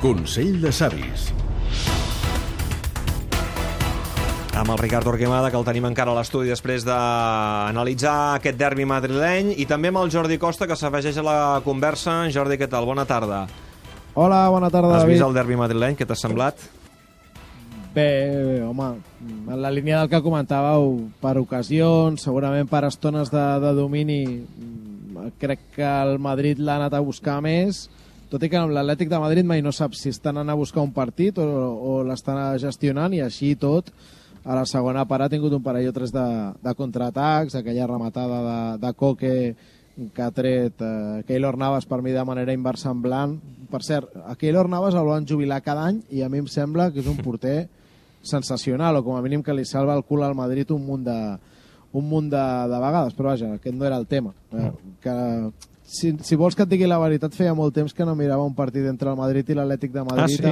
Consell de Savis. Amb el Ricard Torquemada, que el tenim encara a l'estudi després d'analitzar aquest derbi madrileny, i també amb el Jordi Costa, que s'afegeix a la conversa. Jordi, què tal? Bona tarda. Hola, bona tarda, Has David. vist el derbi madrileny? Què t'ha semblat? Bé, home, en la línia del que comentàveu, per ocasions, segurament per estones de domini, crec que el Madrid l'ha anat a buscar més, tot i que amb l'Atlètic de Madrid mai no saps si estan anant a buscar un partit o l'estan gestionant, i així tot, a la segona part ha tingut un parell o tres de contraatacs, aquella rematada de Coque que ha tret Keylor Navas, per mi de manera inversemblant. Per cert, a Keylor Navas el van jubilar cada any i a mi em sembla que és un porter sensacional, o com a mínim que li salva el cul al Madrid un munt de vegades, però vaja, aquest no era el tema. Que, si vols que et digui la veritat, feia molt temps que no mirava un partit entre el Madrid i l'Atlètic de Madrid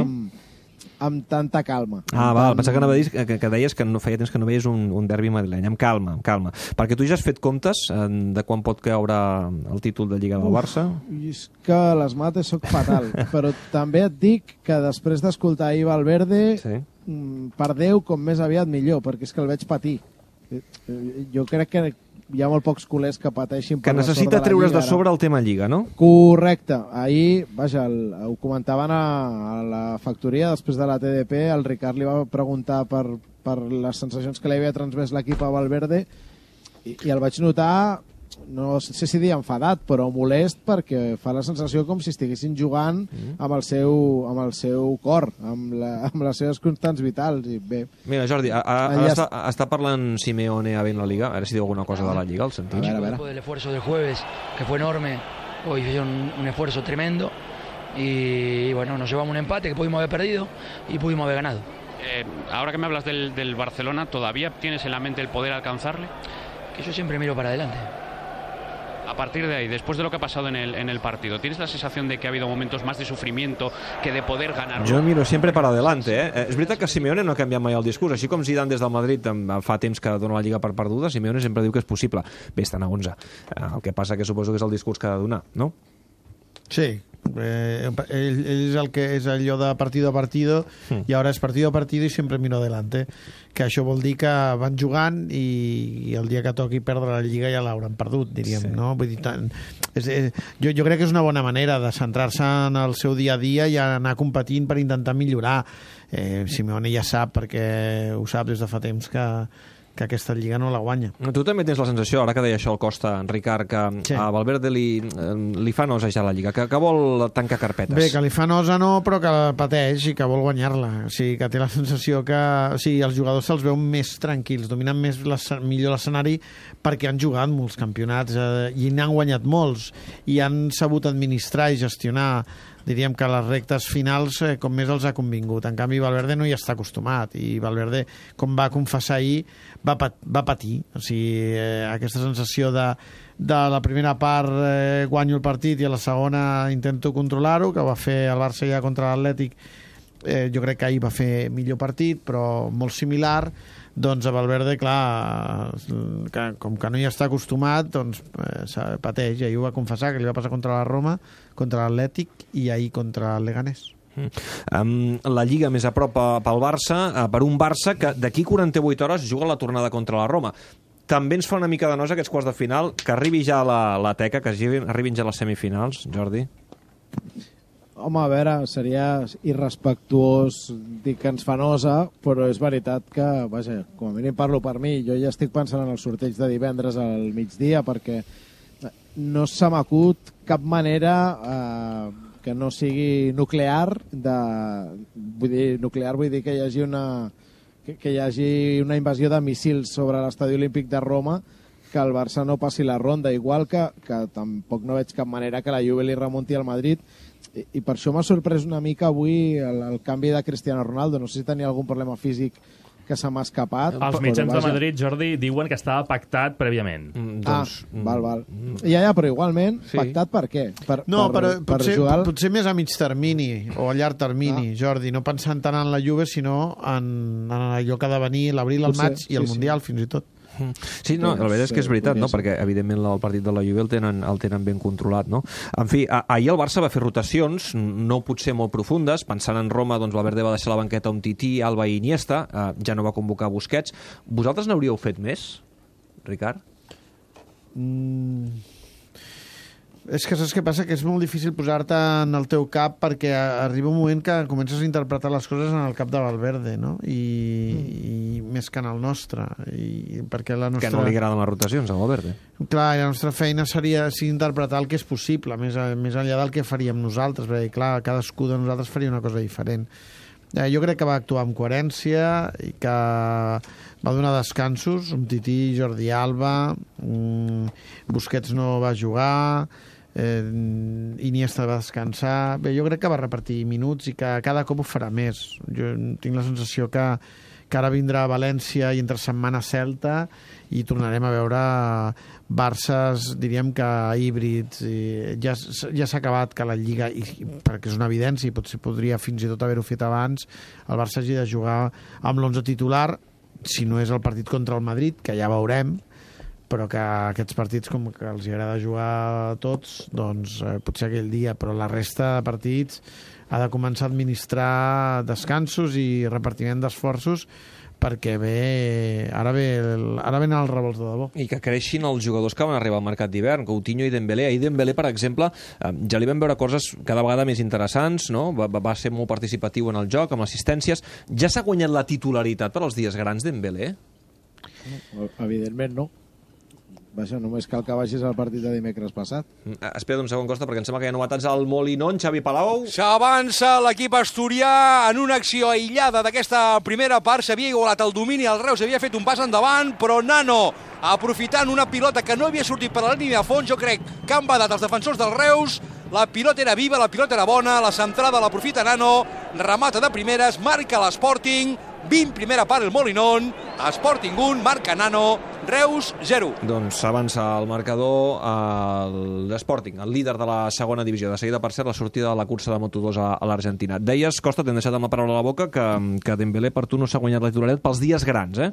amb tanta calma. Val, pensava que anava a dir que deies que no feia temps que no veies un derbi madrileny. Amb calma. Perquè tu ja has fet comptes de quan pot caure el títol de Lliga del Barça? És que a les mates soc fatal, però també et dic que després d'escoltar ahir Valverde, per Déu, com més aviat millor, perquè és que el veig patir. Jo crec que hi ha molt pocs culers que pateixin per que necessita treure's de sobre el tema Lliga, no? Correcte. Ahir, vaja, ho comentaven a la factoria, després de la TDP, el Ricard li va preguntar per les sensacions que li havia transmès l'equip a Valverde, i el vaig notar, no sé si dir enfadat, però molest, perquè fa la sensació com si estiguessin jugant amb el seu cor, amb les seves constants vitals. I bé, mira, Jordi, està parlant Simeone a la Liga, a veure si diu alguna cosa de la Liga, al sentit. Después del esfuerzo del jueves, que fue enorme, hoy hicieron un esfuerzo tremendo y bueno, nos llevamos un empate que pudimos haber perdido y pudimos haber ganado. Ahora que me hablas del Barcelona, ¿todavía tienes en la mente el poder alcanzarle? Que yo siempre miro para adelante. A partir de ahí, después de lo que ha pasado en el partido, ¿tienes la sensación de que ha habido momentos más de sufrimiento que de poder ganar? Jo miro sempre per adelante, És veritat que Simeone no ha canviat mai el discurs, així com Zidane des del Madrid fa temps que dona la Lliga per perduda, Simeone sempre diu que és possible. Bé, estan a 11. El que passa que suposo que és el discurs que ha de donar, no? Sí, ell és el que és allò de partido a partido, i ara és partido a partido i sempre miro adelante, que això vol dir que van jugant i el dia que toqui perdre la Lliga ja l'hauran perdut, diríem, no? Vull dir, jo crec que és una bona manera de centrar-se en el seu dia a dia i anar competint per intentar millorar. Simeone ja sap, perquè ho sap des de fa temps, que aquesta Lliga no la guanya. Tu també tens la sensació, ara que deia això el Costa, Ricard, que a Valverde li fa nosa ja la Lliga, que vol tancar carpetes. Bé, que li fa nosa no, però que pateix i que vol guanyar-la. O sigui, que té la sensació que els jugadors se'ls veuen més tranquils, dominen millor l'escenari, perquè han jugat molts campionats i n'han guanyat molts, i han sabut administrar i gestionar, diríem que les rectes finals com més els ha convingut. En canvi, Valverde no hi està acostumat, i Valverde, com va confessar ahir, va patir. O sigui, aquesta sensació de la primera part guanyo el partit i a la segona intento controlar-ho, que va fer el Barça ja contra l'Atlètic. Jo crec que ahir va fer millor partit, però molt similar. Doncs a Valverde, clar, com que no hi està acostumat, doncs pateix. Ahir ho va confessar, que li va passar contra la Roma, contra l'Atlètic i ahir contra el Leganés. La Lliga més a prop pel Barça, per un Barça que d'aquí 48 hores juga la tornada contra la Roma. També ens fa una mica de nosa aquests quarts de final, que arribi ja la teca, que arribin ja les semifinals, Jordi? Home, a veure, seria irrespectuós dir que ens fa nosa, però és veritat que, vaja, com a mínim parlo per mi, jo ja estic pensant en el sorteig de divendres al migdia, perquè no se m'acut cap manera que no sigui nuclear, vull dir que hi hagi una invasió de míssils sobre l'estadi olímpic de Roma, que el Barça no passi la ronda, igual que tampoc no veig cap manera que la Juve li remunti al Madrid, i per això m'ha sorprès una mica avui el canvi de Cristiano Ronaldo. No sé si tenia algun problema físic que se m'ha escapat. Els mitjans de Madrid, Jordi, diuen que estava pactat prèviament. Val. Ja, però igualment, pactat per què? Potser més a mig termini o a llarg termini, Jordi, no pensant tant en la Juve, sinó en allò que ha de venir l'abril, el maig i el Mundial, fins i tot. Sí, no, la veritat és que és veritat, no? Perquè evidentment el partit de la Juve el tenen ben controlat, no? En fi, ahir el Barça va fer rotacions, no potser molt profundes, pensant en Roma, doncs Valverde va deixar la banqueta un Tití, Alba i Iniesta, ja no va convocar Busquets. Vosaltres n'hauríeu fet més, Ricard? És que saps què passa? Que és molt difícil posar-te en el teu cap perquè arriba un moment que comences a interpretar les coses en el cap de Valverde, no? I més que en el nostre. I perquè la nostra... Que no li agraden les rotacions, a Valverde. Clar, i la nostra feina seria interpretar el que és possible, més enllà del que faríem nosaltres, perquè clar, cadascú de nosaltres faria una cosa diferent. Jo crec que va actuar amb coherència i que va donar descansos, un Tití, Jordi Alba, Busquets no va jugar, Iniesta va descansar. Bé, jo crec que va repartir minuts i que cada cop ho farà més. Jo tinc la sensació que ara vindrà a València i entre setmana Celta i tornarem a veure Barças, diríem que híbrids. Ja s'ha acabat que la Lliga, perquè és una evidència i potser podria fins i tot haver-ho fet abans, el Barça hagi de jugar amb l'11 titular, si no és el partit contra el Madrid, que ja veurem, però que aquests partits, com que els agrada jugar a tots, doncs potser aquell dia, però la resta de partits ha de començar a administrar descansos i repartiment d'esforços perquè ara venen els revolts de debò. I que creixin els jugadors que van arribar al mercat d'hivern, Coutinho i Dembélé. Ahir Dembélé, per exemple, ja li vam veure coses cada vegada més interessants, no? Va ser molt participatiu en el joc, amb assistències. Ja s'ha guanyat la titularitat per als dies grans, Dembélé? Evidentment no. Vaja, només cal que vagis al partit de dimecres passat. Espera't un segon, Costa, perquè em sembla que hi ha novetats al Molinón. Xavi Palau. S'avança l'equip asturià en una acció aïllada d'aquesta primera part. S'havia igualat el domini, el Reus havia fet un pas endavant, però Nano, aprofitant una pilota que no havia sortit per la línia de fons, jo crec que han badat els defensors del Reus. La pilota era viva, la pilota era bona, la centrada l'aprofita Nano, remata de primeres, marca l'Sporting, 20 primera part el Molinón, Sporting 1, marca Nano, Reus 0. Doncs s'avança el marcador l'Sporting, el líder de la segona divisió. De seguida, per cert, la sortida de la cursa de Moto2 a l'Argentina. Deies, Costa, t'hem deixat amb la paraula a la boca, que Dembélé per tu no s'ha guanyat la titularitat pels dies grans, eh?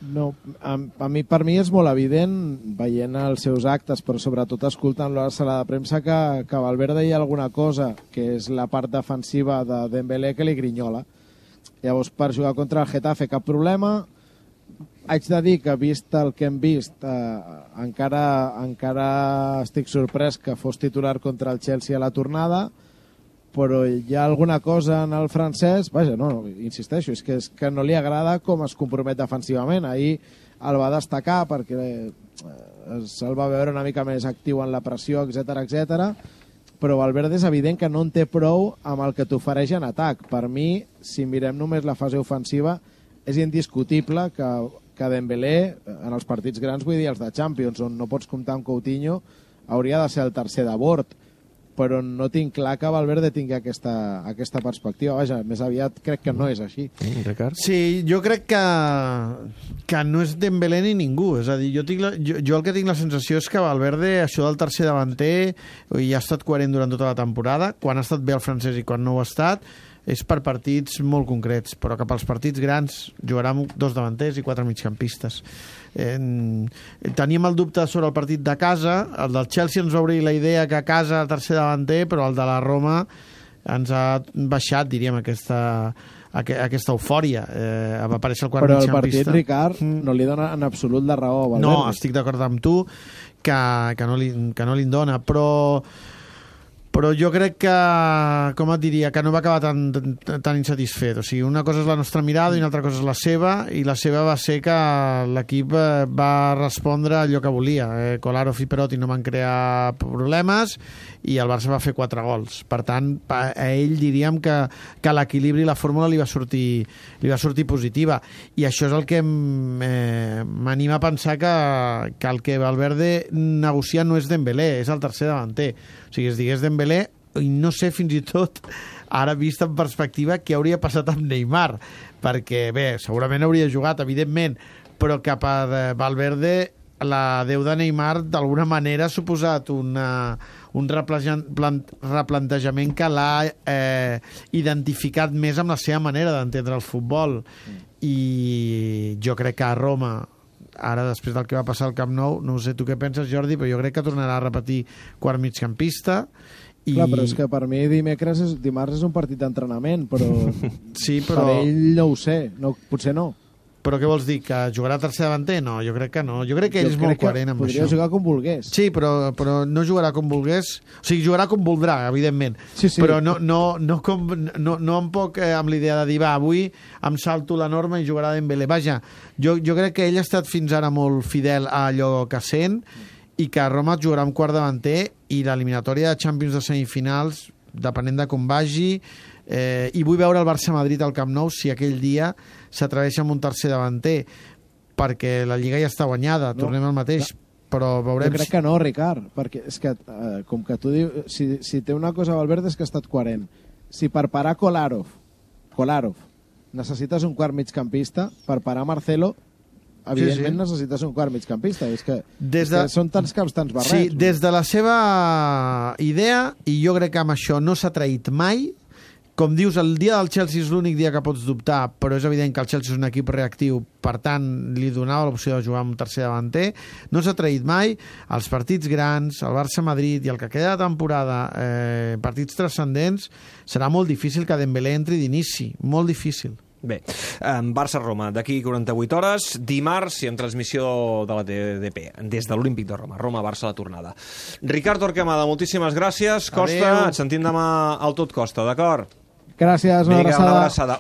No, per mi és molt evident, veient els seus actes, però sobretot escoltant-lo a la sala de premsa, que Valverde hi ha alguna cosa, que és la part defensiva de Dembélé, que li grinyola. Llavors, per jugar contra el Getafe, cap problema. Haig de dir que, vist el que hem vist, encara estic sorprès que fos titular contra el Chelsea a la tornada, però hi ha alguna cosa en el francès, vaja, no, insisteixo, és que no li agrada com es compromet defensivament. Ahir el va destacar perquè se'l va veure una mica més actiu en la pressió, etc, però Valverde és evident que no en té prou amb el que t'ofereix en atac. Per mi, si mirem només la fase ofensiva, és indiscutible que Dembélé, en els partits grans, vull dir els de Champions, on no pots comptar amb Coutinho, hauria de ser el tercer de bord, però no tinc clar que Valverde tingui aquesta perspectiva. Vaja, més aviat crec que no és així. Sí, jo crec que no és Dembélé ni ningú. És a dir, jo el que tinc la sensació és que Valverde, això del tercer davanter, i ha estat coherent durant tota la temporada, quan ha estat bé el francès i quan no ho ha estat, és per partits molt concrets, però que pels partits grans jugarà amb 2 davanters i 4 migcampistes. Teníem el dubte sobre el partit de casa, el del Chelsea ens va obrir la idea que a casa el tercer davanter, però el de la Roma ens ha baixat, diríem, aquesta eufòria. Va aparèixer el quart però migcampista. Però el partit, Ricard, no li dona en absolut la raó a Valverde. No, estic d'acord amb tu que no li dona, però jo crec que, com et diria, que no va acabar tan insatisfet. O sigui, una cosa és la nostra mirada i una altra cosa és la seva, i la seva va ser que l'equip va respondre allò que volia. Kolarov i Perotti no van crear problemes i el Barça va fer 4 gols. Per tant, a ell diríem que l'equilibri i la fórmula li va sortir positiva. I això és el que m'anima a pensar que el que Valverde negocia no és Dembélé, és el tercer davanter. O sigui, es digués Dembélé, i no sé fins i tot, ara vist en perspectiva, què hauria passat amb Neymar, perquè, bé, segurament hauria jugat, evidentment, però que per Valverde la deu de Neymar d'alguna manera ha suposat un replantejament que l'ha identificat més amb la seva manera d'entendre el futbol. I jo crec que a Roma Ara, després del que va passar al Camp Nou, no sé tu què penses, Jordi, però jo crec que tornarà a repetir quart migcampista. Clar, però és que per mi dimarts és un partit d'entrenament, però, sí, però per ell no ho sé, potser no. Però què vols dir, que jugarà tercer davanter? No, jo crec que no. Jo crec que ell és molt coherent amb això. Podria jugar com volgués. Sí, però no jugarà com volgués. O sigui, jugarà com voldrà, evidentment. Sí. Però no amb l'idea de dir, va, avui em salto la norma i jugarà Dembélé. Vaja, jo crec que ell ha estat fins ara molt fidel a allò que sent i que Roma jugarà amb quart davanter i l'eliminatòria de Champions de semifinals, depenent de com vagi, i vull veure el Barça-Madrid al Camp Nou si aquell dia s'atreveix amb un tercer davanter, perquè la Lliga ja està guanyada, tornem al mateix, però veurem... Jo crec que no, Ricard, perquè és que, com que tu dius, si té una cosa Valverde és que ha estat coherent. Si per parar Kolarov necessites un quart migcampista, per parar Marcelo, evidentment necessites un quart migcampista. És que són tants caps, tants barrets. Sí, des de la seva idea, i jo crec que amb això no s'ha traït mai. Com dius, el dia del Chelsea és l'únic dia que pots dubtar, però és evident que el Chelsea és un equip reactiu, per tant, li donava l'opció de jugar amb un tercer davanter. No s'ha traït mai. Els partits grans, el Barça-Madrid i el que queda de temporada, partits transcendents, serà molt difícil que Dembélé entri d'inici. Molt difícil. Bé, Barça-Roma, d'aquí 48 hores, dimarts i amb transmissió de la TDP, des de l'Olímpic de Roma. Roma-Barça la tornada. Ricard Torquemada, moltíssimes gràcies. Costa, et sentim demà al Tot Costa, d'acord? Gràcies, una abraçada.